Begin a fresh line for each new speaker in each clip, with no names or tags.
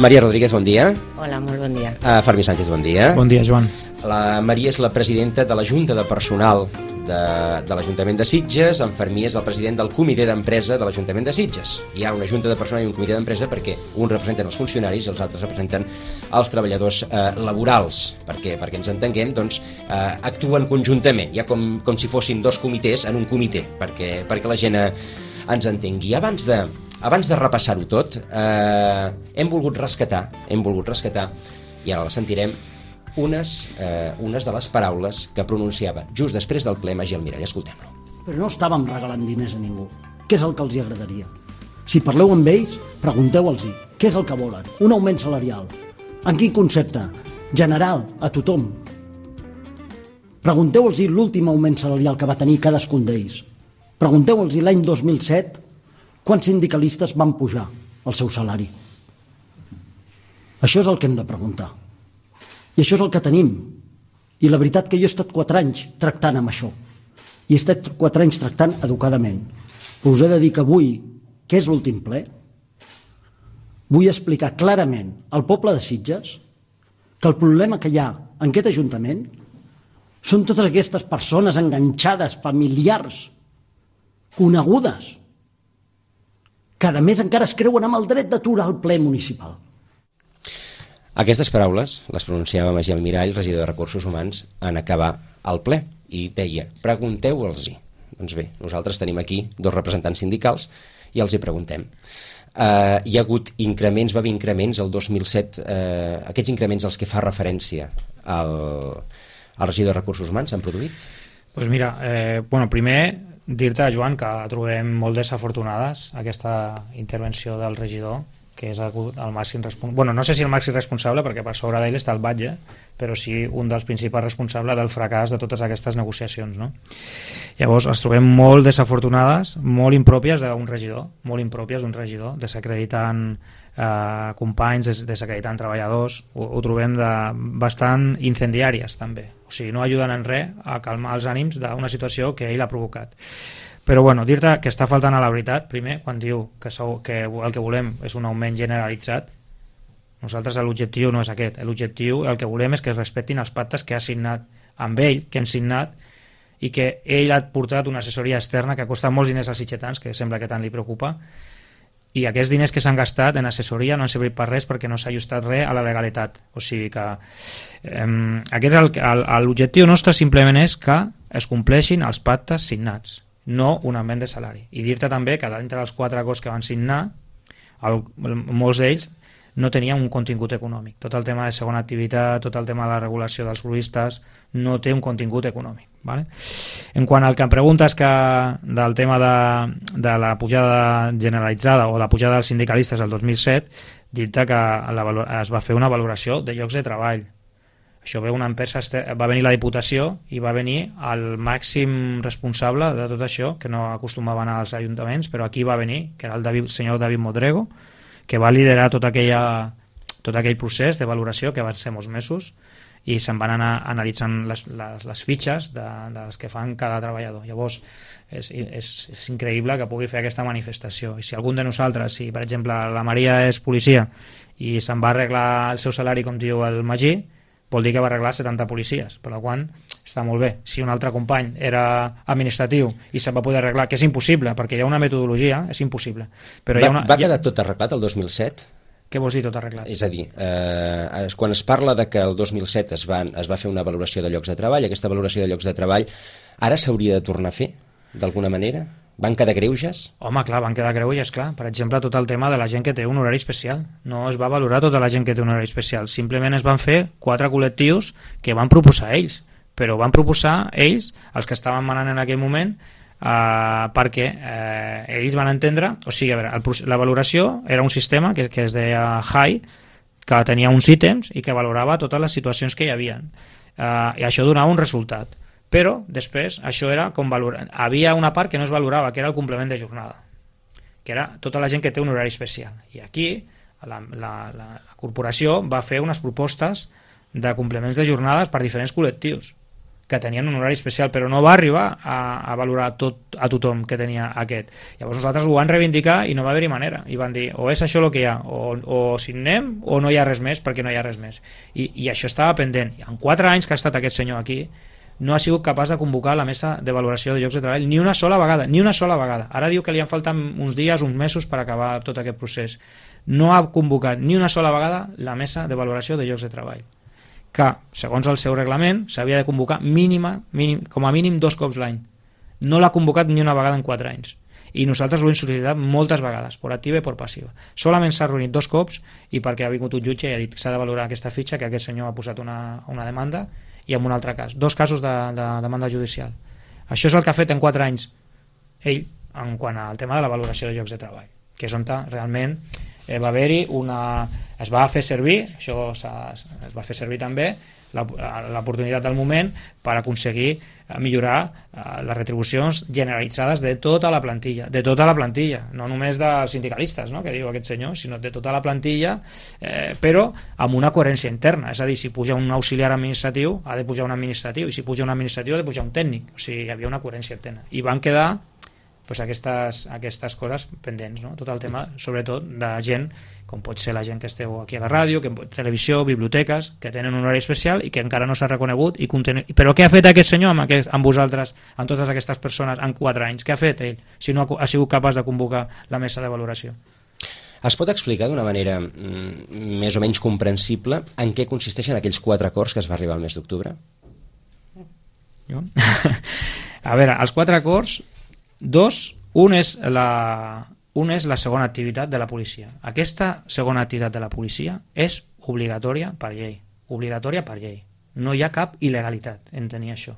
Maria Rodríguez, bon dia.
Hola, molt bon dia.
Fermí Sánchez, bon dia.
Bon dia, Joan.
La Maria és la presidenta de la Junta de Personal de l'Ajuntament de Sitges. En Fermí és el president del Comitè d'Empresa de l'Ajuntament de Sitges. Hi ha una Junta de Personal i un Comitè d'Empresa perquè uns representen els funcionaris i els altres representen els treballadors laborals, perquè ens entenguem, doncs, actuen conjuntament, ja com si fossin dos comitès en un comitè, perquè la gent ens entengui. Abans de repassar-ho tot, hem volgut rescatar, i ara la sentirem, unes de les paraules que pronunciava just després del ple Magí Almirall. Escoltem-lo.
Però no estàvem regalant diners a ningú. Què és el que els hi agradaria? Si parleu amb ells, pregunteu-los què és el que volen. Un augment salarial. En quin concepte? General, a tothom. Pregunteu-los l'últim augment salarial que va tenir cadascun d'ells. Pregunteu-los l'any 2007 quants sindicalistes van pujar el seu salari. Això és el que hem de preguntar. I això és el que tenim. I la veritat que jo he estat 4 anys tractant amb això. I he estat 4 anys tractant educadament. Però us he de dir que avui, que és l'últim ple, vull explicar clarament al poble de Sitges que el problema que hi ha en aquest Ajuntament són totes aquestes persones enganxades, familiars, conegudes, que a més encara es creuen amb el dret d'aturar el ple municipal.
Aquestes paraules les pronunciava Magí Almirall, regidor de Recursos Humans, en acabar el ple, i deia, pregunteu-los-hi. Doncs bé, nosaltres tenim aquí 2 representants sindicals i els hi preguntem. Hi ha hagut increments, va haver increments el 2007, aquests increments als que fa referència el regidor de Recursos Humans s'han produït?
Doncs mira, primer dir-te, Joan, que trobem molt desafortunades aquesta intervenció del regidor, que és el màxim responsable, bueno, no sé si el màxim responsable, perquè per sobre d'ell està el batlle, però sí un dels principals responsables del fracàs de totes aquestes negociacions, no? Llavors, les trobem molt desafortunades, molt impròpies d'un regidor, desacreditant companys, desacreditant treballadors, ho trobem bastant incendiàries, també. O sigui, no ajuden en res a calmar els ànims d'una situació que ell ha provocat. Però bueno, dir-te que està faltant a la veritat, primer, quan diu que el que volem és un augment generalitzat. Nosaltres l'objectiu no és aquest, l'objectiu, el que volem és que es respectin els pactes que ha signat amb ell, que hem signat, i que ell ha portat una assessoria externa que ha costat molts diners als sitgetans, que sembla que tant li preocupa, i aquests diners que s'han gastat en assessoria no han servit per res perquè no s'ha ajustat res a la legalitat. O sigui que l'objectiu nostre simplement és que es compleixin els pactes signats, no un augment de salari. I dir-te també que d'entre els 4 acords que van signar, molts d'ells no tenien un contingut econòmic. Tot el tema de segona activitat, tot el tema de la regulació dels gruistes, no té un contingut econòmic. ¿Vale? En quant al que em preguntes del tema de la pujada generalitzada o la pujada dels sindicalistes el 2007, dir-te que es va fer una valoració de llocs de treball. Això ve una empresa, va venir la Diputació i va venir el màxim responsable de tot això, que no acostumava a anar als ajuntaments, però aquí va venir, que era el senyor David Modrego, que va liderar tot aquell procés de valoració que van ser molts mesos, i se'n van anar analitzant les fitxes dels que fan cada treballador. Llavors és increïble que pugui fer aquesta manifestació, i si algun de nosaltres, si per exemple la Maria és policia i se'n va arreglar el seu salari com diu el Magí, vol dir que va arreglar 70 policies, per la qual està molt bé. Si un altre company era administratiu i se'n va poder arreglar, que és impossible perquè hi ha una metodologia, és impossible. Però
va quedar tot arreglat el 2007?
Què vols dir tot arreglat?
És a dir, quan es parla de que el 2007 es va fer una valoració de llocs de treball, aquesta valoració de llocs de treball ara s'hauria de tornar a fer, d'alguna manera? Van quedar greuges?
Home, clar, van quedar greuges, clar. Per exemple, tot el tema de la gent que té un horari especial. No es va valorar tota la gent que té un horari especial. Simplement es van fer 4 col·lectius que van proposar ells, però van proposar ells, els que estaven manant en aquell moment, perquè ells van entendre, o sigui, a veure, la valoració era un sistema que es deia HIGH, que tenia uns ítems i que valorava totes les situacions que hi havia, i això donava un resultat, però després això era com valorar. Havia una part que no es valorava, que era el complement de jornada, que era tota la gent que té un horari especial, i aquí la corporació va fer unes propostes de complements de jornades per diferents col·lectius, que tenien un horari especial, però no va arribar a valorar a tothom que tenia aquest. Llavors nosaltres ho van reivindicar i no va haver-hi manera, i van dir o és això el que hi ha, o signem o no hi ha res més, perquè no hi ha res més. I això estava pendent. I en 4 anys que ha estat aquest senyor aquí no ha sigut capaç de convocar la mesa de valoració de llocs de treball ni una sola vegada, ni una sola vegada. Ara diu que li han faltat uns dies, uns mesos per acabar tot aquest procés. No ha convocat ni una sola vegada la mesa de valoració de llocs de treball, que, segons el seu reglament, s'havia de convocar com a mínim 2 cops l'any. No l'ha convocat ni una vegada en 4 anys. I nosaltres ho hem sol·licitat moltes vegades, per activa i per passiva. Solament s'ha reunit 2 cops i perquè ha vingut un jutge i ha dit que s'ha de valorar aquesta fitxa, que aquest senyor ha posat una demanda, i en un altre cas. 2 casos de demanda judicial. Això és el que ha fet en 4 anys ell en quant al tema de la valoració de llocs de treball, que és on realment va haver-hi es va fer servir, això es va fer servir també l'oportunitat del moment per aconseguir millorar les retribucions generalitzades de tota la plantilla, no només dels sindicalistes, no?, que diu aquest senyor, sinó de tota la plantilla, però amb una coherència interna. És a dir, si puja un auxiliar administratiu ha de pujar un administratiu, i si puja un administratiu ha de pujar un tècnic. O sigui, hi havia una coherència interna i van quedar aquestes coses pendents, no? Tot el tema, sobretot, de gent com pot ser la gent que esteu aquí a la ràdio, televisió, biblioteques, que tenen un horari especial i que encara no s'ha reconegut. Però què ha fet aquest senyor amb vosaltres, amb totes aquestes persones, en 4 anys? Què ha fet ell, si no ha sigut capaç de convocar la mesa de valoració?
Es pot explicar d'una manera més o menys comprensible en què consisteixen aquells 4 acords que es va arribar al mes d'octubre?
A veure, els 4 acords, un és la segona activitat de la policia. Aquesta segona activitat de la policia és obligatòria per llei. No hi ha cap il·legalitat en tenir això.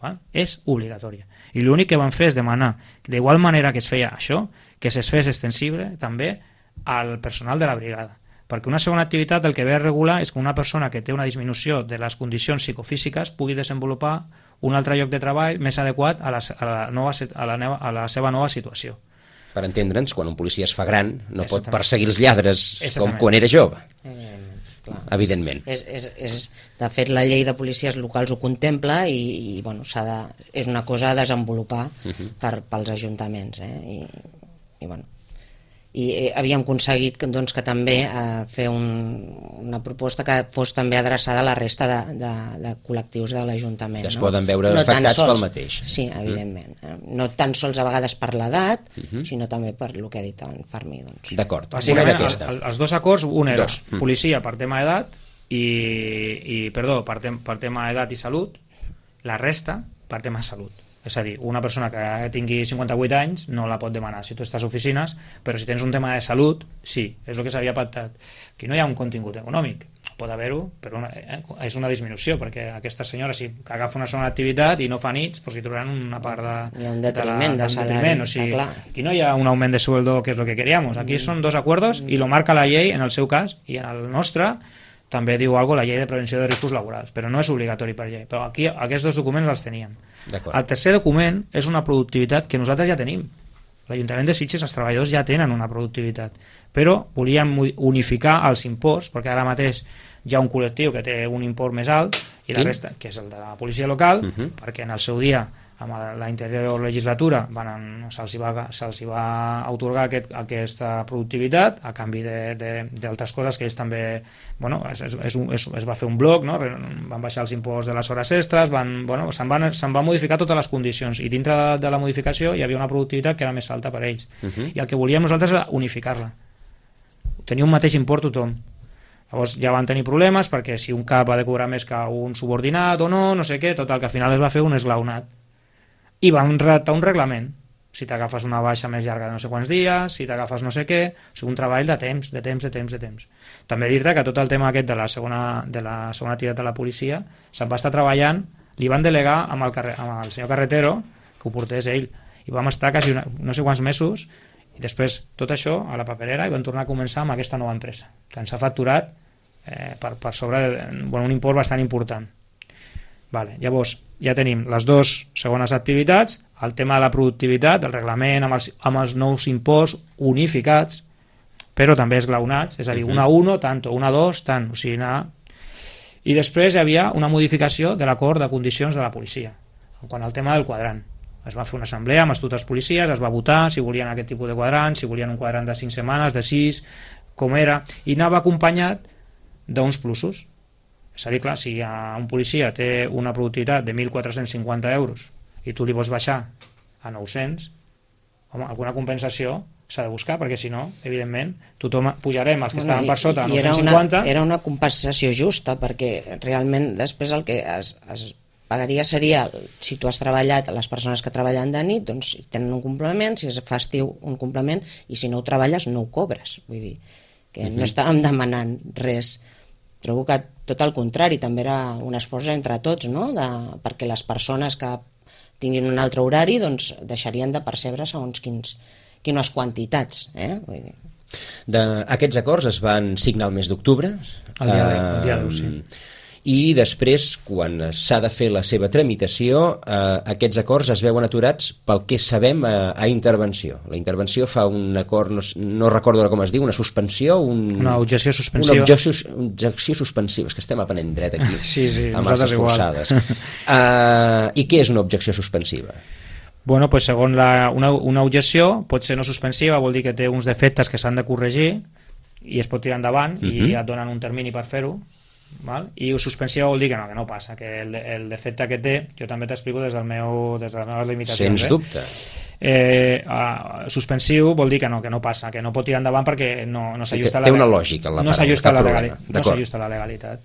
Val? És obligatòria. I l'únic que van fer és demanar, d'igual manera que es feia això, que es fes extensible també al personal de la brigada. Perquè una segona activitat el que ve a regular és que una persona que té una disminució de les condicions psicofísiques pugui desenvolupar un altre lloc de treball més adequat a la seva nova situació.
Per entendre'ns, quan un policia es fa gran no pot perseguir els lladres com quan era jove. Evidentment.
De fet, la llei de policies locals ho contempla i bueno, és una cosa a desenvolupar pels ajuntaments. I bueno, i havíem aconseguit que també fer una proposta que fos també adreçada a la resta de col·lectius de l'Ajuntament.
Que es poden veure afectats pel mateix.
Sí, evidentment. No tan sols a vegades per l'edat, sinó també per el que ha dit en Fermí.
D'acord.
Els 2 acords, un era policia per tema d'edat per tema d'edat i salut, la resta per tema de salut. És a dir, una persona que tingui 58 anys no la pot demanar si tu estàs a oficines, però si tens un tema de salut, sí, és el que s'havia pactat. Aquí no hi ha un contingut econòmic, pot haver-ho, però és una disminució, perquè aquesta senyora, si agafa una segona activitat i no fa nits, doncs hi trobaran una part
hi ha un detriment de salari.
O sigui, aquí no hi ha un augment de sueldo, que és el que queríamos. Aquí són 2 acuerdos i lo marca la llei en el seu cas, i en el nostre també diu alguna cosa la llei de prevenció de riscos laborals, però no és obligatori per llei. Però aquí aquests 2 documents els teníem. El tercer document és una productivitat que nosaltres ja tenim. L'Ajuntament de Sitges, els treballadors ja tenen una productivitat, però volíem unificar els imports, perquè ara mateix hi ha un col·lectiu que té un import més alt i la resta, que és el de la policia local, perquè en el seu dia amb la anterior legislatura se'ls va atorgar aquesta productivitat a canvi d'altres coses que ells també, bueno, es va fer un bloc, no? Van baixar els imposts de les hores extres, se'n van modificar totes les condicions i dintre de la modificació hi havia una productivitat que era més alta per ells i el que volíem nosaltres era unificar-la, tenir un mateix import tothom. Llavors ja van tenir problemes perquè si un cap ha de cobrar més que un subordinat o no sé què, tot el que al final es va fer un esglaonat i van redactar un reglament, si t'agafes una baixa més llarga de no sé quants dies, si t'agafes no sé què, o sigui, un treball de temps. També dir-te que tot el tema aquest de la segona activitat de la policia se'n va estar treballant, li van delegar amb el senyor Carretero que ho portés ell, i vam estar quasi no sé quants mesos, i després tot això a la paperera i vam tornar a començar amb aquesta nova empresa, que ens ha facturat per sobre un import bastant important. Llavors ja tenim les 2 segones activitats, el tema de la productivitat, el reglament amb els nous imports unificats, però també esglaonats, és a dir, una 1, tanto, una 2, tant, o sigui, anar... I després hi havia una modificació de l'acord de condicions de la policia quan al tema del quadrant. Es va fer una assemblea amb tots els policies, es va votar si volien aquest tipus de quadrant, si volien un quadrant de 5 setmanes, de 6, com era, i anava acompanyat d'uns plusos. És a dir, clar, si un policia té una productivitat de 1.450 euros i tu li vols baixar a 900, home, alguna compensació s'ha de buscar, perquè si no, evidentment, tothom pujarem els que estaven per sota a 950.
Era una compensació justa, perquè realment després el que es pagaria seria, si tu has treballat, les persones que treballen de nit, doncs tenen un complement, si és festiu un complement, i si no ho treballes no ho cobres. Vull dir, que no estàvem demanant res. Trobo que tot el contrari, també era un esforç entre tots, no? Perquè les persones que tinguin un altre horari doncs deixarien de percebre segons quines quantitats. Vull dir.
Aquests acords es van signar el mes d'octubre.
El dia 10, sí.
I després, quan s'ha de fer la seva tramitació, aquests acords es veuen aturats pel que sabem a intervenció. La intervenció fa un acord, no recordo com es diu, una suspensió...
Una objecció suspensiva.
Una objecció suspensiva, és que estem aprenent dret aquí,
sí,
amb les forçades. I què és una objecció suspensiva?
Bueno, pues segons una objecció pot ser no suspensiva, vol dir que té uns defectes que s'han de corregir i es pot tirar endavant i et donen un termini per fer-ho. Val? I suspensiva vol dir que no passa, que el defecte que té, jo també t'explico des de les meves limitacions.
Sens dubte.
Suspensiu vol dir que no passa, que no pot tirar endavant perquè no s'ajusta
té una lògica en la paraula,
no s'ajusta a la legalitat.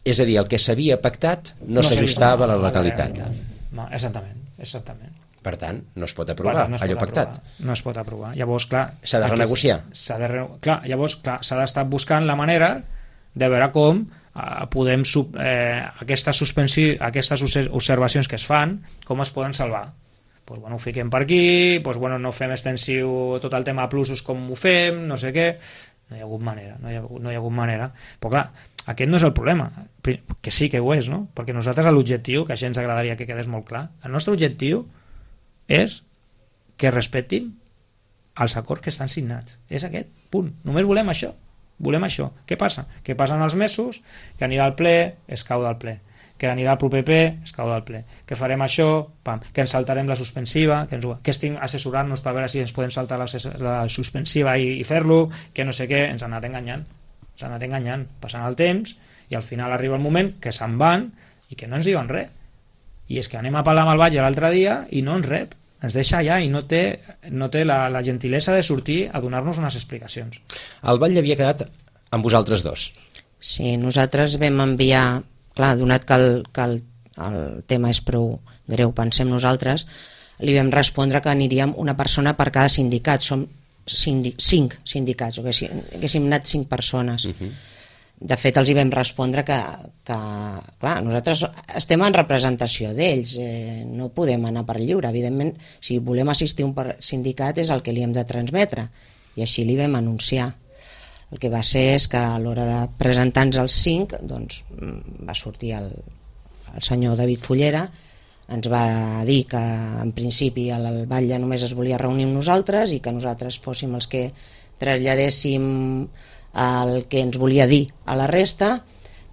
És a dir, el que s'havia pactat no s'ajustava a la legalitat.
Exactament.
Per tant, no es pot aprovar allò pactat.
No es pot aprovar. Llavors, clar...
S'ha de renegociar.
Llavors, clar, s'ha d'estar buscant la manera de veure com podem... aquestes observacions que es fan, com es poden salvar. Pues, bueno, ho fiquem per aquí, pues, bueno, no fem extensiu tot el tema de plusos com ho fem, no sé què... No hi ha hagut manera. Però, clar, aquest no és el problema. Que sí que ho és, no? Perquè nosaltres l'objectiu, que això ens agradaria que quedés molt clar, el nostre objectiu és que respectin els acords que estan signats. És aquest, punt. Només volem això. Què passa? Que passen els mesos, que anirà al ple, es cau del ple. Que anirà al proper ple, es cau del ple. Que farem això, que ens saltarem la suspensiva, que estic assessorant-nos per veure si ens podem saltar la suspensiva i fer-lo, que no sé què, ens han anat enganyant. Passant el temps i al final arriba el moment que se'n van i que no ens diuen res. I és que anem a parlar amb el batlle l'altre dia i no ens rep, ens deixa allà i no té la gentilesa de sortir a donar-nos unes explicacions.
El batlle havia quedat amb vosaltres dos.
Sí, nosaltres vam enviar, clar, donat que el tema és prou greu, pensem nosaltres, li vam respondre que aniríem una persona per cada sindicat. Som 5 sindicats, o que haguéssim anat 5 persones. De fet, els hi vam respondre que clar, nosaltres estem en representació d'ells, no podem anar per lliure. Evidentment, si volem assistir a un sindicat és el que li hem de transmetre, i així li vam anunciar. El que va ser és que a l'hora de presentar-nos els 5, doncs, va sortir el senyor David Fullera, ens va dir que en principi el batlle només es volia reunir amb nosaltres i que nosaltres fóssim els que traslladéssim el que ens volia dir a la resta,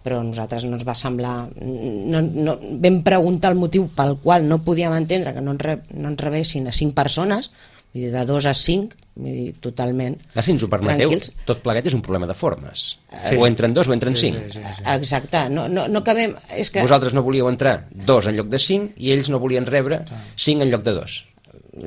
però a nosaltres no ens va semblar... vam preguntar el motiu pel qual no podíem entendre que no ens rebessin a 5 persones, vull dir, de 2 a 5, vull dir, totalment
si ens ho permeteu,
tranquils.
tot plegat és un problema de formes. Sí. O entren 2 o entren 5.
Sí.
Exacte, no cabem... És que...
Vosaltres no volíeu entrar 2 en lloc de 5 i ells no volien rebre 5 en lloc de 2.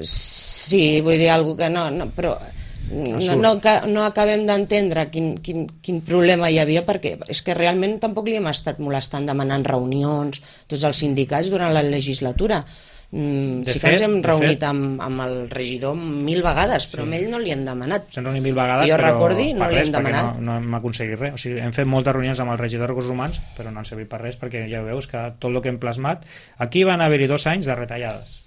Sí, vull dir, alguna que no, però... No acabem d'entendre quin problema hi havia, perquè és que realment tampoc li hem estat molestant demanant reunions tots els sindicats durant la legislatura. Sí que ens hem reunit amb el regidor 1000 vegades, però amb ell no li hem demanat.
S'han reunit 1000 vegades,
jo recordi, no li hem demanat.
No hem aconseguit res. O sigui, hem fet moltes reunions amb el regidor de Recursos Humans, però no han servit per res, perquè ja veus que tot el que hem plasmat... Aquí van haver-hi 2 anys de retallades,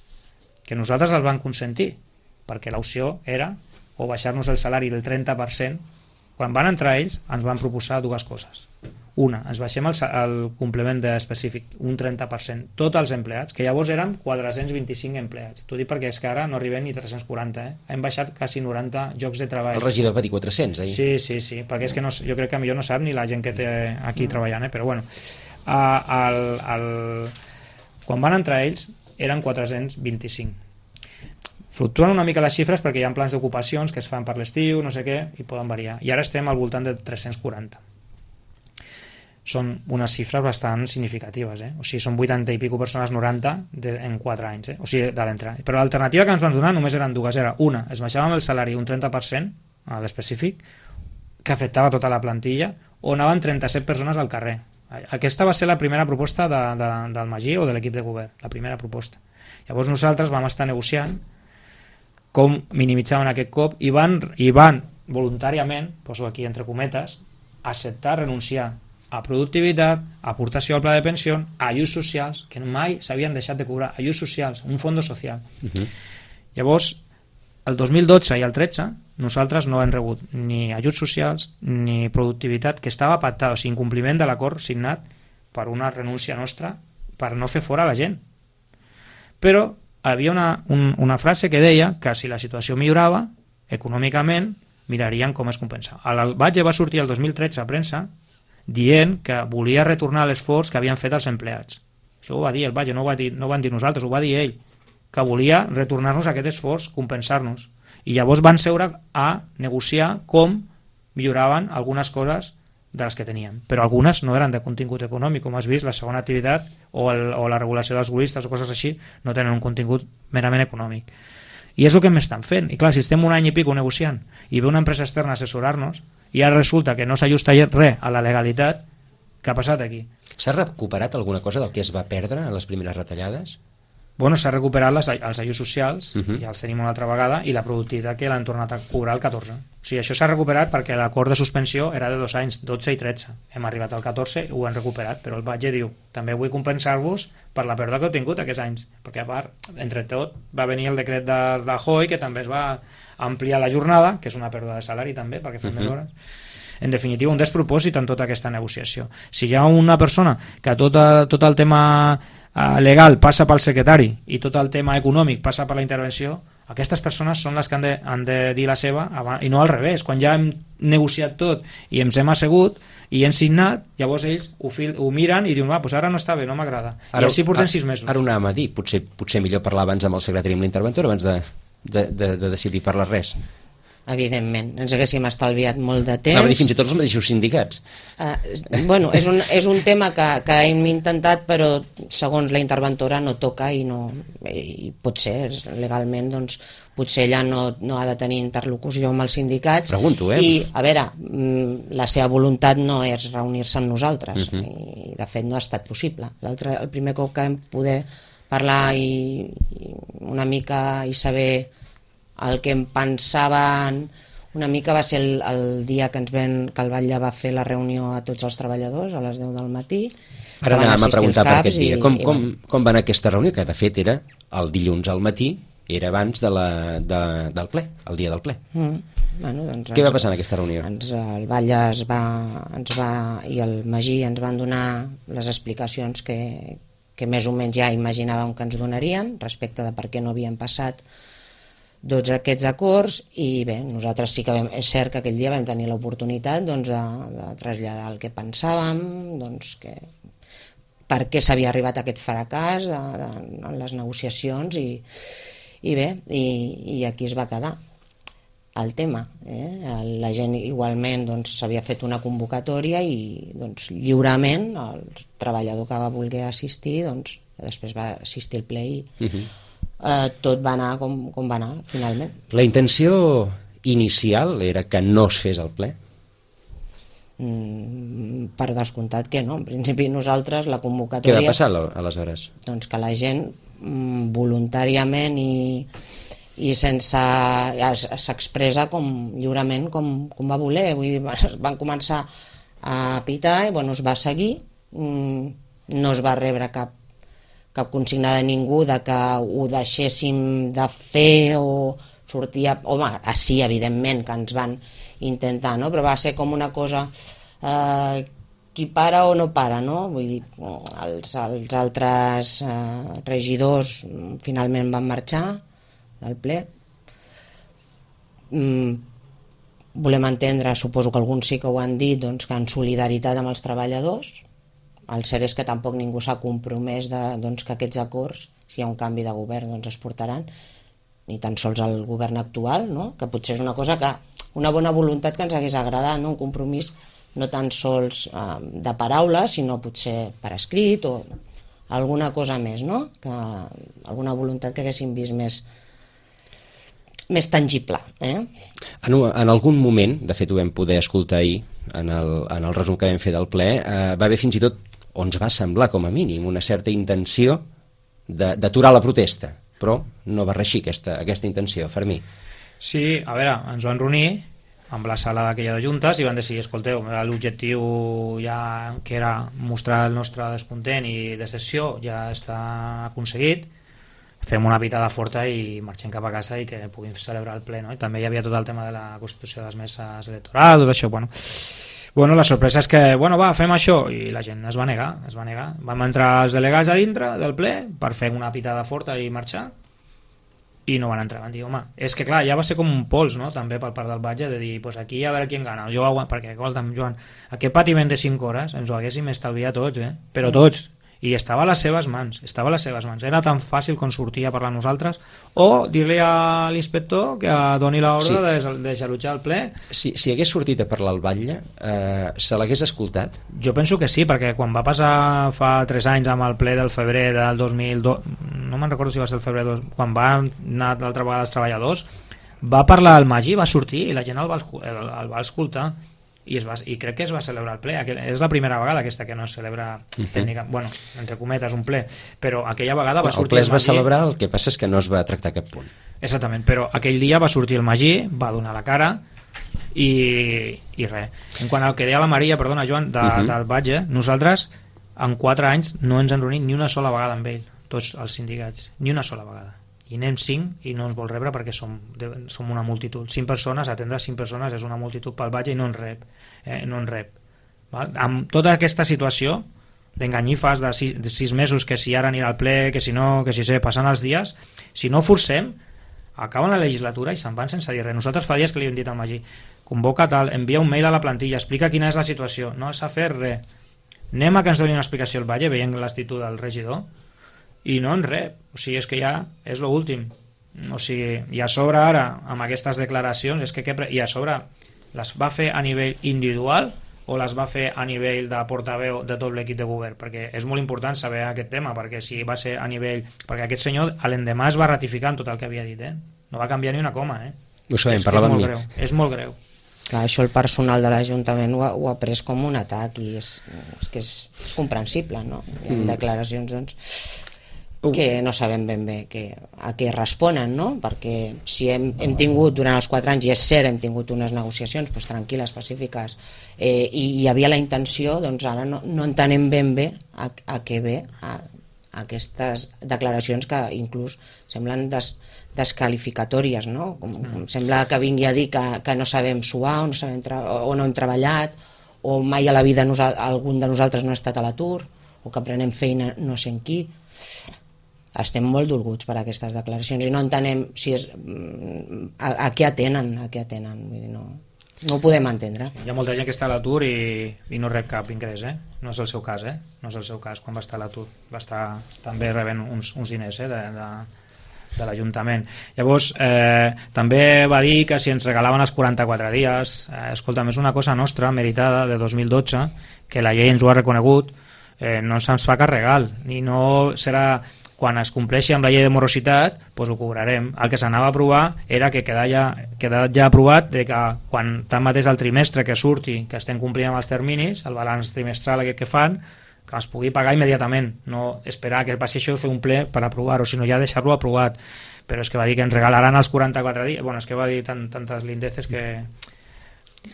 que nosaltres els van consentir, perquè l'opció era o baixar-nos el salari del 30%. Quan van entrar ells ens van proposar 2 coses. ens baixem el complement específic un 30%, tots els empleats, que llavors eren 425 empleats. T'ho dic perquè és que ara no arribem ni 340, hem baixat quasi 90 llocs de treball.
El regidor va dir 400, eh?
Sí, perquè és que no, jo crec que millor no sap ni la gent que té aquí treballant, però bueno, quan van entrar ells eren 425. Fluctuen una mica les xifres perquè hi ha plans d'ocupacions que es fan per l'estiu, no sé què, i poden variar. I ara estem al voltant de 340. Són unes xifres bastant significatives, o sigui, són 80 i pico persones, 90 en 4 anys, o sigui, de l'entrada. Però l'alternativa que ens van donar només eren dues. Era una, es baixàvem el salari un 30% a l'específic, que afectava tota la plantilla, o anaven 37 persones al carrer. Aquesta va ser la primera proposta del Magí o de l'equip de govern, la primera proposta. Llavors nosaltres vam estar negociant com minimitzàvem aquest cop i van voluntàriament, poso aquí entre cometes, acceptar renunciar a productivitat, aportació al pla de pensió, a ajuts socials, que mai s'havien deixat de cobrar, ajuts socials, un fons social. Llavors, el 2012 i el 13, nosaltres no hem rebut ni ajuts socials ni productivitat, que estava pactat, o sigui, incompliment de l'acord signat per una renúncia nostra per no fer fora la gent. Però havia una frase que deia que si la situació millorava econòmicament mirarien com es compensa. El Batlle va sortir el 2013 a premsa dient que volia retornar l'esforç que havien fet els empleats. Això ho va dir el Batlle, no ho van dir nosaltres, ho va dir ell, que volia retornar-nos aquest esforç, compensar-nos. I llavors van seure a negociar com milloraven algunes coses de les que teníem, però algunes no eren de contingut econòmic, com has vist, la segona activitat o la regulació dels guristes o coses així no tenen un contingut merament econòmic. I és el que m'estan fent. I clar, si estem un any i pico negociant i ve una empresa externa a assessorar-nos i ara resulta que no s'ajusta res a la legalitat, què ha passat aquí?
S'ha recuperat alguna cosa del que es va perdre en les primeres retallades?
Bueno, s'ha recuperat els ajuts socials, ja els tenim una altra vegada, i la productivitat que l'han tornat a cobrar el 14. O sigui, això s'ha recuperat perquè l'acord de suspensió era de 2 anys, 12 i 13. Hem arribat al 14 i ho hem recuperat, però el Batlle diu, també vull compensar-vos per la pèrdua que heu tingut aquests anys, perquè a part, entre tot, va venir el decret de Rajoy, que també es va ampliar la jornada, que és una pèrdua de salari també, perquè fem més hores. En definitiva, un despropòsit en tota aquesta negociació. Si hi ha una persona que tot el tema legal passa pel secretari i tot el tema econòmic passa per la intervenció, aquestes persones són les que han de dir la seva i no al revés. Quan ja hem negociat tot i ens hem assegut i hem signat, llavors ells ho miren i diuen, doncs ara no està bé, no m'agrada. I així portem 6 mesos.
Ara ho anàvem a dir, potser millor parlar abans amb el secretari i amb l'interventor abans de decidir parlar res.
Evidentment, ens haguéssim estalviat molt de temps.
Clar, fins i tot els mateixos sindicats.
Bueno, és un tema que hem intentat, però segons la interventora no toca i potser legalment doncs, potser ella no ha de tenir interlocució amb els sindicats.
Pregunto,
I a veure, la seva voluntat no és reunir-se amb nosaltres i de fet no ha estat possible. El primer cop que vam poder parlar i una mica i saber el que em pensaven una mica va ser el dia que el Batlle va fer la reunió a tots els treballadors a les 10 del matí.
Ara anàvem a preguntar per aquest dia. Com va anar aquesta reunió? Que de fet era el dilluns al matí, era abans del ple, el dia del ple.
Doncs
què va passar en aquesta reunió?
El Batlle i el Magí ens van donar les explicacions que més o menys ja imaginàvem que ens donarien respecte de per què no havien passat tots aquests acords. I bé, nosaltres sí que és cert que aquell dia vam tenir l'oportunitat de traslladar el que pensàvem, per què s'havia arribat a aquest fracàs en les negociacions i bé, i aquí es va quedar el tema. La gent igualment s'havia fet una convocatòria i lliurement el treballador que va voler assistir després va assistir al ple i tot va anar com va anar finalment.
La intenció inicial era que no es fes el ple?
Per descomptat que no. En principi nosaltres la convocatòria...
Què va passar aleshores?
Doncs que la gent voluntàriament i sense... s'expressa lliurement com va voler. Vull dir, van començar a pitar i es va seguir. No es va rebre cap consigna de ningú de que ho deixéssim de fer o sortia... Home, sí, evidentment que ens van intentar, no? Però va ser com una cosa qui para o no para, no? Vull dir, els altres regidors finalment van marxar del ple. Volem entendre, suposo que alguns sí que ho han dit, doncs, que en solidaritat amb els treballadors. El cert és que tampoc ningú s'ha compromès doncs, que aquests acords, si hi ha un canvi de govern, doncs es portaran, ni tan sols el govern actual, no? Que potser és una cosa que, una bona voluntat que ens hagués agradat, no? Un compromís no tan sols de paraules, sinó potser per escrit o alguna cosa més, no? Alguna voluntat que haguéssim vist més tangible.
En algun moment, de fet ho vam poder escoltar ahir, en el resum que vam fer del ple, va haver fins i tot, o ens va semblar com a mínim, una certa intenció d'aturar la protesta, però no va reeixir aquesta intenció, Fermí.
Sí, a veure, ens van reunir amb la sala d'aquella de juntes i van decidir, escolteu, l'objectiu ja que era mostrar el nostre descontent i decepció ja està aconseguit, fem una pitada forta i marxem cap a casa i que puguin celebrar el ple, no? I també hi havia tot el tema de la constitució de les meses electorals, tot això, bueno, la sorpresa és que, va, fem això, i la gent es va negar. Vam entrar els delegats a dintre del ple per fer una pitada forta i marxar, i no van entrar, van dir, home, és que clar, ja va ser com un pols, no?, també per part del Batlle, de dir, pues aquí a veure qui en gana, perquè, escolta'm, Joan, aquest patiment de 5 hores ens ho haguéssim estalviat tots, però tots, i estava a les seves mans, era tan fàcil com sortir a parlar nosaltres, o dir-li a l'inspector que doni l'ordre de desallotjar el ple. Si
hagués sortit a parlar al Batlle, se l'hagués escoltat?
Jo penso que sí, perquè quan va passar fa 3 anys amb el ple del febrer del 2002, no me'n recordo si va ser el febrer, quan va anar l'altra vegada els treballadors, va parlar al Magí, va sortir i la gent el va escoltar, i crec que es va celebrar el ple. És la primera vegada aquesta que no es celebra tècnicament, bueno, entre cometes, un ple, però aquella vegada va sortir
el ple es va celebrar, el que passa és que no es va tractar cap punt.
Exactament, però aquell dia va sortir el Magí, va donar la cara i res. En quant al que deia la Maria, perdona Joan, del Batlle, nosaltres en 4 anys no ens hem reunit ni una sola vegada amb ell, tots els sindicats, ni una sola vegada, i anem 5 i no ens vol rebre perquè som una multitud, 5 persones, atendre 5 persones és una multitud pel Batlle i no ens rep, val? Amb tota aquesta situació d'enganyifes de 6 mesos, que si ara anirà al ple, que si no, que si sé, passant els dies, si no forcem, acaben la legislatura i se'n van sense dir res. Nosaltres fa dies que li hem dit al Magí, convoca tal, envia un mail a la plantilla, explica quina és la situació, no s'ha fet res, anem a que ens doni una explicació al Batlle, veient l'actitud del regidor, i no en rep, o sigui, és que ja és l'últim, o sigui, i a sobre ara, amb aquestes declaracions, i a sobre les va fer a nivell individual o les va fer a nivell de portaveu de tot l'equip de govern, perquè és molt important saber aquest tema, perquè si va ser a nivell, perquè aquest senyor a l'endemà es va ratificar en tot el que havia dit, no va canviar ni una coma,
Ho sabem, parlava amb mi.
És molt greu.
Clar, això el personal de l'Ajuntament ho ha pres com un atac i és que és comprensible, no? Hi ha declaracions, doncs, que no sabem ben bé a què responen, no? Perquè si hem tingut durant els 4 anys, i és cert, hem tingut unes negociacions doncs, tranquil·les, pacífiques, i hi havia la intenció, doncs ara no entenem ben bé a què ve aquestes declaracions que inclús semblen desqualificatòries, no? Com sembla que vingui a dir que no sabem suar o no hem treballat, o mai a la vida algun de nosaltres no ha estat a l'atur, o que prenem feina no sé en qui. Estem molt dolguts per aquestes declaracions i no entenem si és a què atenen, vull dir, no ho podem entendre.
Hi ha molta gent que està a l'atur i no rep cap ingrés, no és el seu cas, no és el seu cas quan va estar a l'atur, va estar també rebent uns diners de l'Ajuntament. Llavors també va dir que si ens regalaven els 44 dies, escolta'm, és una cosa nostra meritada de 2012, que la llei ens ho ha reconegut, no se'ns fa cap regal, ni no serà quan es compleixi amb la llei de morositat, doncs ho cobrarem. El que s'anava a aprovar era que queda ja aprovat de que quan tanmateix el trimestre que surti, que estem complint amb els terminis, el balanç trimestral aquest que fan, que es pugui pagar immediatament, no esperar que passi això i fer un ple per aprovar-ho, sinó ja deixar-lo aprovat. Però és que va dir que ens regalaran els 44 dies, bueno, és que va dir tantes lindeces que,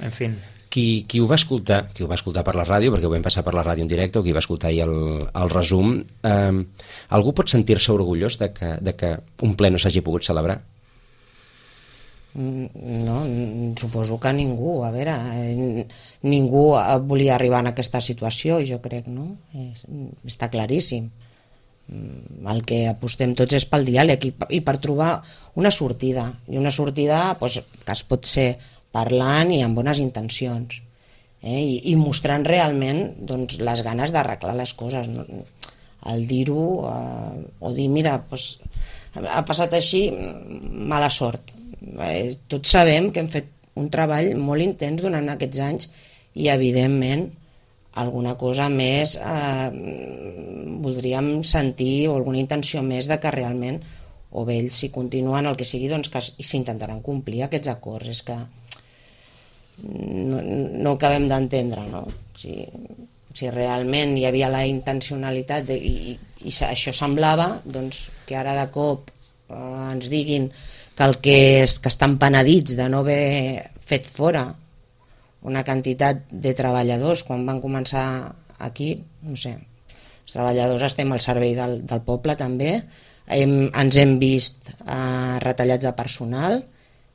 en fi.
Qui ho va escoltar per la ràdio, perquè ho vam passar per la ràdio en directe, o qui va escoltar ahir el resum, algú pot sentir-se orgullós de que un ple no s'hagi pogut celebrar?
No, suposo que ningú, a veure, ningú volia arribar en aquesta situació, jo crec, no? Està claríssim. El que apostem tots és pel diàleg i per trobar una sortida, i una sortida doncs, que es pot ser parlant i amb bones intencions, i mostrant realment doncs, les ganes d'arreglar les coses, no? El dir-ho o dir, mira, doncs, ha passat així, mala sort. Tots sabem que hem fet un treball molt intens durant aquests anys i evidentment alguna cosa més voldríem sentir o alguna intenció més de que realment o bé ells si continuen el que sigui doncs que s'intentaran complir aquests acords. És que no acabem d'entendre, no? Si realment hi havia la intencionalitat i això semblava doncs, que ara de cop ens diguin que estan penedits de no haver fet fora una quantitat de treballadors quan van començar aquí, no sé, els treballadors estem al servei del poble també, ens hem vist retallats de personal,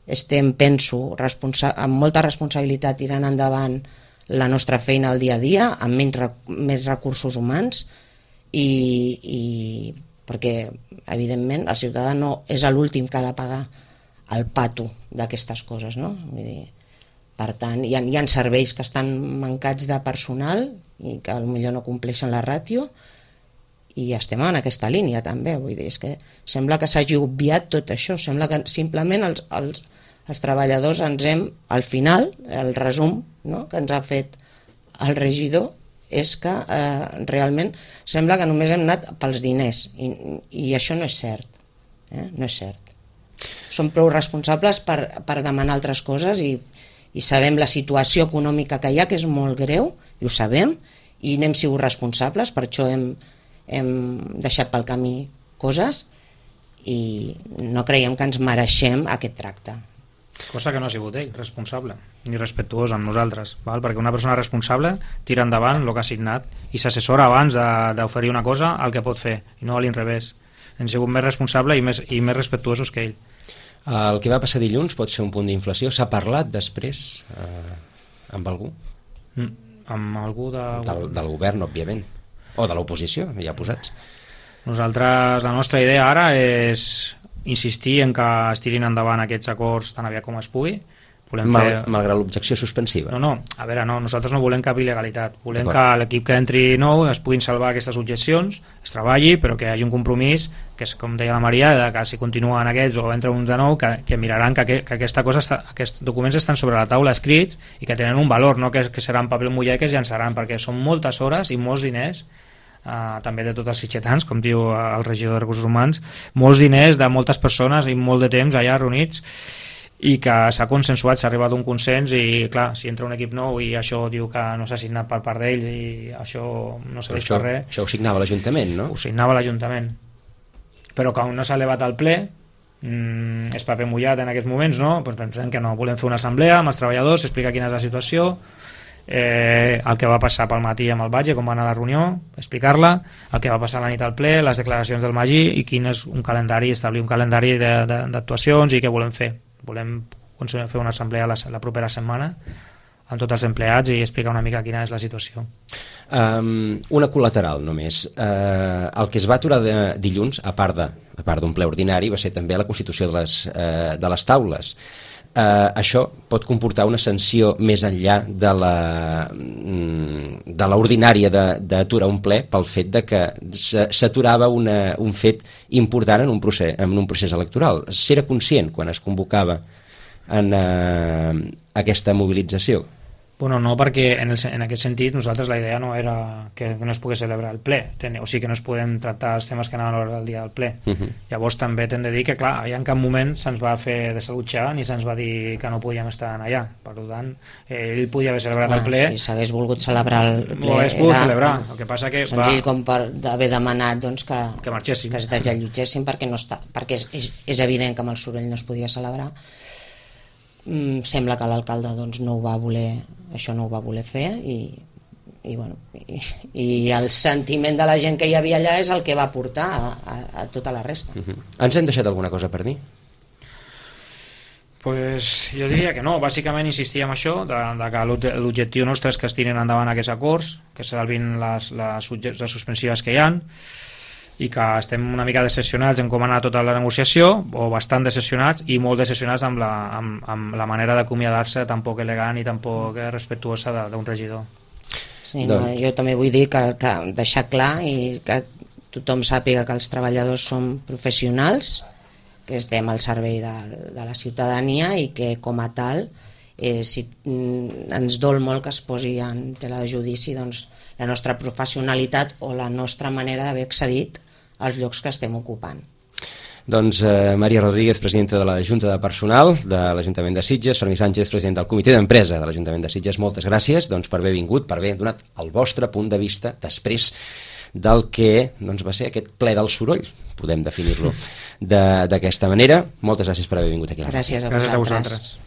estem, penso, amb molta responsabilitat tirant endavant la nostra feina al dia a dia, amb més recursos humans i perquè evidentment el ciutadà no és l'últim que ha de pagar el pato d'aquestes coses, no? Vull dir, per tant, hi ha serveis que estan mancats de personal i que potser no compleixen la ràtio i estem en aquesta línia també, vull dir, és que sembla que s'hagi obviat tot això, sembla que simplement els treballadors ens hem, al final, el resum, no?, que ens ha fet el regidor és que realment sembla que només hem anat pels diners i això no és cert, no és cert. Som prou responsables per demanar altres coses i sabem la situació econòmica que hi ha, que és molt greu, i ho sabem, i n'hem sigut responsables, per això hem deixat pel camí coses i no creiem que ens mereixem aquest tracte.
Cosa que no ha sigut ell responsable ni respectuós amb nosaltres, val? Perquè una persona responsable tira endavant el que ha signat i s'assessora abans d'oferir una cosa al que pot fer i no a l'inrevés. Hem sigut més responsable i més respectuosos que ell.
El que va passar dilluns pot ser un punt d'inflació. S'ha parlat després amb algú?
Amb algú
del govern, òbviament, o de l'oposició, ja posats.
Nosaltres, la nostra idea ara és insistir en que es tirin endavant aquests acords tan aviat com es pugui.
Malgrat l'objecció suspensiva.
No, a veure, no, nosaltres no volem cap il·legalitat, volem que l'equip que entri nou es puguin salvar aquestes objeccions, es treballi, però que hi hagi un compromís, que és com deia la Maria, que si continuen aquests o entra uns de nou, que miraran que aquesta cosa aquests documents estan sobre la taula escrits i que tenen un valor, no que seran paper mullat que es llançaran, perquè són moltes hores i molts diners, també de tots els sitgetans, com diu el regidor de Recursos Humans, molts diners de moltes persones i molt de temps allà reunits, i que s'ha consensuat, s'ha arribat a un consens i clar, si entra un equip nou i això diu que no s'ha signat per part d'ells i això no serveix per res.
Això ho signava l'Ajuntament, no?
Ho signava l'Ajuntament, però que no s'ha elevat al ple, és paper mullat en aquests moments, no? Doncs pensem que no, volem fer una assemblea amb els treballadors, explicar quina és la situació, el que va passar pel matí amb el Batge, com va anar a la reunió, explicar-la, el que va passar a la nit al ple, les declaracions del Magí i quin és un calendari, establir un calendari d'actuacions i què volem fer. Volem fer una assemblea la propera setmana amb tots els empleats i explicar una mica quina és la situació.
Una col·lateral només. El que es va aturar dilluns, a part d'un ple ordinari, va ser també la constitució de les taules. Això pot comportar una sanció més enllà de l'ordinària d'aturar un ple pel fet de que s'aturava un fet important en un procés electoral. S'era conscient quan es convocava en aquesta mobilització?
Bueno, no, perquè en aquest sentit nosaltres la idea no era que no es pogués celebrar el ple, o sigui que no es poden tractar els temes que anaven a l'hora del dia del ple. Llavors també t'hem de dir que clar, allà en cap moment se'ns va fer desallotjar ni se'ns va dir que no podíem estar allà, per tant ell podia haver celebrat el ple.
Si s'hagués volgut celebrar el ple
ho hagués pogut celebrar, el que passa que
senzill com per haver demanat doncs, que
marxéssim,
que es desallotgessin perquè és evident que amb el soroll no es podia celebrar. Sembla que l'alcalde doncs, no ho va voler fer i el sentiment de la gent que hi havia allà és el que va portar a tota la resta.
Ens hem deixat alguna cosa per dir?
Pues jo diria que no, bàsicament insistia en això, de que l'objectiu nostre és que es tirin endavant aquests acords, que salvin les suspensives que hi ha, i que estem una mica decepcionats en com ha anat tota la negociació, o bastant decepcionats, i molt decepcionats amb la manera d'acomiadar-se tan poc elegant i tan poc respectuosa d'un regidor.
Sí, no, jo també vull dir que deixar clar i que tothom sàpiga que els treballadors som professionals, que estem al servei de la ciutadania i que com a tal ens dol molt que es posi en tela de judici doncs, la nostra professionalitat o la nostra manera d'haver accedit als llocs que estem ocupant.
Doncs Maria Rodríguez, presidenta de la Junta de Personal de l'Ajuntament de Sitges, Fermí Sánchez, president del Comitè d'Empresa de l'Ajuntament de Sitges, moltes gràcies per haver vingut, per haver donat el vostre punt de vista després del que va ser aquest ple del soroll, podem definir-lo d'aquesta manera. Moltes gràcies per haver vingut aquí.
Gràcies a
vosaltres.